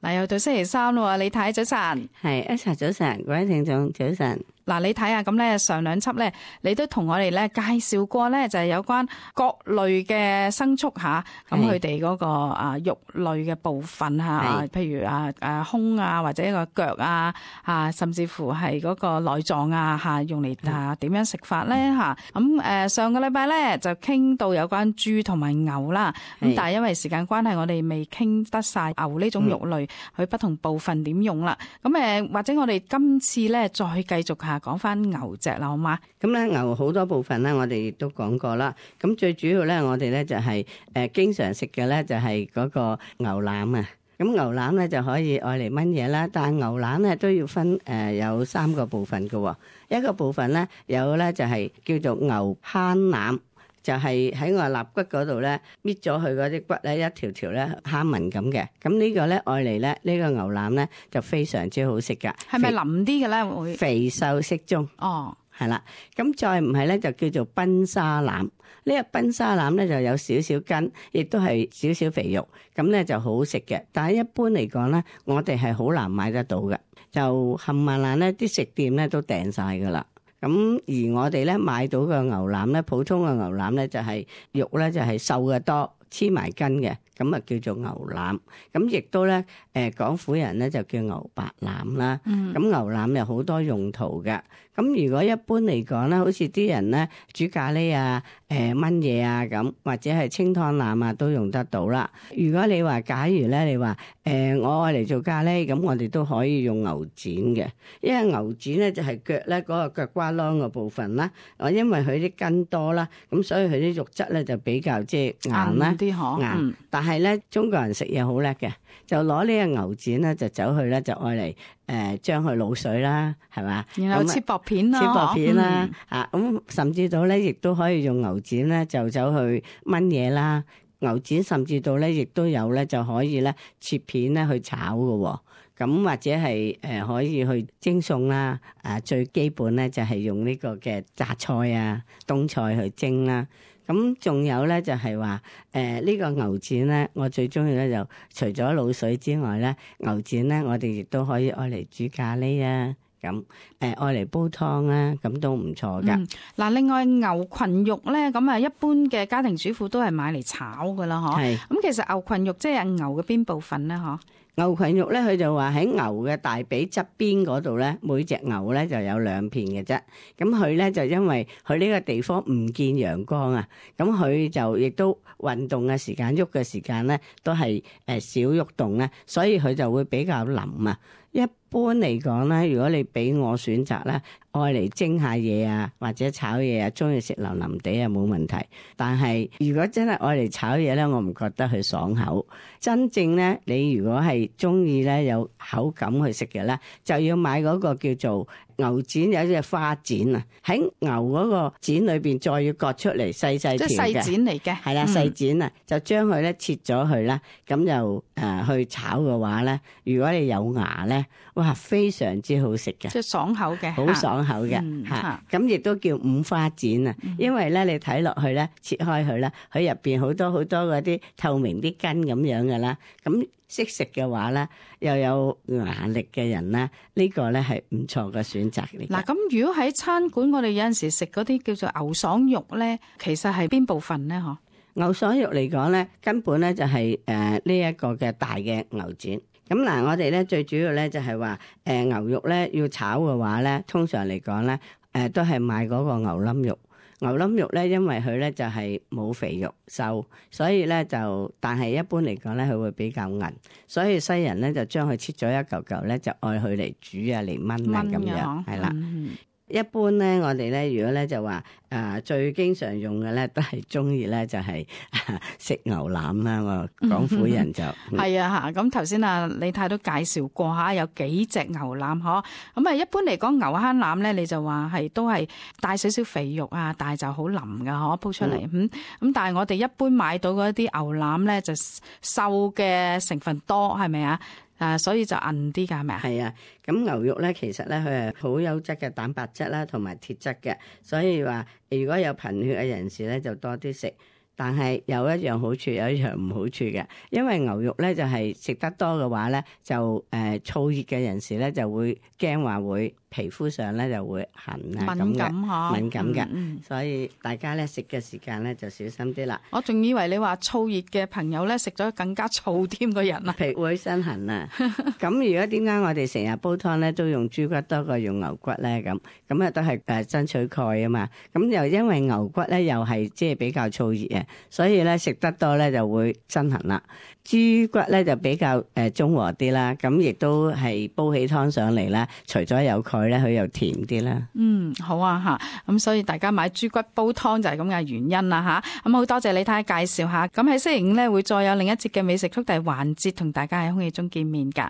嗱，又到星期三啦，李太早晨。係，Esther早晨，各位聽眾早晨。嗱，你睇下咁咧，上兩輯咧，你都同我哋咧介紹過咧，就係有關各類嘅牲畜吓，咁佢哋嗰個肉類嘅部分吓，譬如胸啊，或者一個腳啊，甚至乎係嗰個內臟啊吓，用嚟點樣食法咧吓。咁上個禮拜咧就傾到有關豬同埋牛啦，咁但係因為時間關係，我哋未傾得晒牛呢種肉類佢不同部分點用啦。咁或者我哋今次咧再繼續下。講翻牛隻啦，好嗎？咁咧牛好多部分咧，我哋亦都講過啦。咁最主要咧，我哋咧就係經常食嘅咧，就係嗰個牛腩啊。咁牛腩咧就可以愛嚟炆嘢啦，但係牛腩咧都要分有3個部分嘅。一個部分咧有咧就係叫做牛慳腩。就係喺我肋骨嗰度咧，搣咗佢嗰啲骨咧，一條條咧蝦紋咁嘅。咁呢個咧愛嚟咧，呢個牛腩咧就非常之好食噶。係咪腍啲嘅咧？會肥瘦適中。哦，係啦。咁再唔係咧，就叫做賓沙腩。呢個賓沙腩咧就有少少筋，亦都係少少肥肉，咁咧就好食嘅。但係一般嚟講咧，我哋係好難買得到嘅，就冚唪唥咧啲食店咧都訂晒噶啦。咁而我哋咧買到嘅牛腩咧，普通嘅牛腩咧就係肉咧就係瘦嘅多，黐埋筋嘅，咁啊叫做牛腩。咁亦都咧廣府人咧就叫牛白腩啦。咁牛腩有好多用途嘅。咁如果一般嚟講咧，好似啲人咧煮咖喱啊、炆嘢啊咁，或者係清湯腩啊都用得到啦。如果你話假如咧，你話我愛嚟做咖喱，咁我哋都可以用牛展嘅，因為牛展咧就係腳咧嗰個腳瓜啷個部分啦。因為佢啲筋多啦，咁所以佢啲肉質咧就比較即係硬啦，硬。但係咧中國人食嘢好叻嘅，就攞呢個牛展咧就走去咧就愛嚟將佢滷水啦，係嘛？然後切薄片啦，切薄片啦，咁甚至到咧亦都可以用牛展咧就走去炆嘢啦。牛展甚至到咧亦都有咧就可以咧切片咧去炒嘅。咁或者係可以去蒸餸啦。最基本咧就係用呢個嘅榨菜啊、冬菜去蒸啦。咁仲有咧就係話呢個牛展咧，我最中意咧就除咗滷水之外咧，牛展咧我哋亦都可以愛嚟煮咖喱啊，咁愛嚟煲湯啊，咁都唔錯噶。嗱，另外牛群肉咧，咁一般嘅家庭主婦都係買嚟炒噶啦，嗬。係。咁其實牛群肉即係牛嘅邊部分咧，嗬？牛群肉咧，佢就話喺牛嘅大髀側邊嗰度咧，每隻牛咧就有2片嘅啫。咁佢咧就因為佢呢個地方唔見陽光啊，咁佢就亦都運動嘅時間、喐嘅時間咧都係少喐動咧，所以佢就會比較腍啊。一般嚟講咧，如果你俾我選擇咧，愛嚟蒸下嘢啊，或者炒嘢啊，中意食腍腍地啊，冇問題。但係如果真係愛嚟炒嘢咧，我唔覺得佢爽口。真正咧，你如果係中意咧有口感去食嘅咧，就要買嗰個叫做牛展，有隻花展啊，喺牛嗰個展裏邊再要割出嚟細細條嘅，即係細展嚟嘅，係啦，細展啊，就將佢咧切咗佢啦，咁就去炒嘅話咧，如果你有牙咧，哇，非常之好食嘅，即係爽口嘅，好爽口嘅嚇。咁亦都叫五花展啊，因為咧你睇落去咧，切開佢咧，佢入邊好多好多嗰啲透明啲筋咁樣嘅啦。咁識食嘅話咧，又有牙力嘅人咧，呢個咧係唔錯嘅選擇嚟。嗱，咁如果喺餐館我哋有陣時食嗰啲叫做牛爽肉咧，其實係邊部分咧？嗬？牛爽肉嚟講咧，根本咧就係呢一個嘅大嘅牛展。咁嗱，我哋咧最主要咧就係話牛肉咧要炒嘅話咧，通常嚟講咧都係買嗰個牛冧肉。牛冧肉咧，因為佢咧就係冇肥肉瘦，所以咧就，但係一般嚟講咧，佢會比較韌，所以西人咧就將佢切咗一嚿嚿咧，就愛佢嚟煮啊，嚟炆啊咁樣，係啦。一般咧，我哋咧如果咧就話最經常用嘅咧，都係中意咧就係食牛腩啦。我廣府人就係啊嚇。咁頭先李太都介紹過嚇，有幾隻牛腩嗬。咁一般嚟講牛坑腩咧，你就話係都係帶少少肥肉啊，但係就好腍噶嗬，鋪出嚟咁。但係我哋一般買到嗰啲牛腩咧，就瘦嘅成分多，係咪啊？所以就韌啲㗎，係咪啊？係啊，咁牛肉咧，其實咧佢係好優質嘅蛋白質啦，同埋鐵質嘅，所以話如果有貧血嘅人士咧，就多啲食。但係有一樣好處，有一樣唔好處嘅。因為牛肉咧就係食得多嘅話咧，就燥熱嘅人士咧就會驚話會皮膚上咧就會痕啊咁嘅，敏感嘅。所以大家咧食嘅時間咧就小心啲啦。我仲以為你話燥熱嘅朋友咧食咗更加燥添個人啊，皮會身痕啊。咁如果點解我哋成日煲湯咧都用豬骨多過用牛骨咧？咁啊都係爭取蓋啊嘛。咁又因為牛骨咧又係即係比較燥熱啊，所以咧食得多咧就會身痕啦。豬骨咧就比較中和啲啦，咁亦都係煲起湯上嚟啦。除咗有蓋咧，佢又甜啲啦。好啊吓，咁所以大家買豬骨煲湯就係咁嘅原因啦吓。咁好多謝李太介紹下。咁喺星期五咧會再有另一節嘅美食速遞環節，同大家喺空氣中見面噶。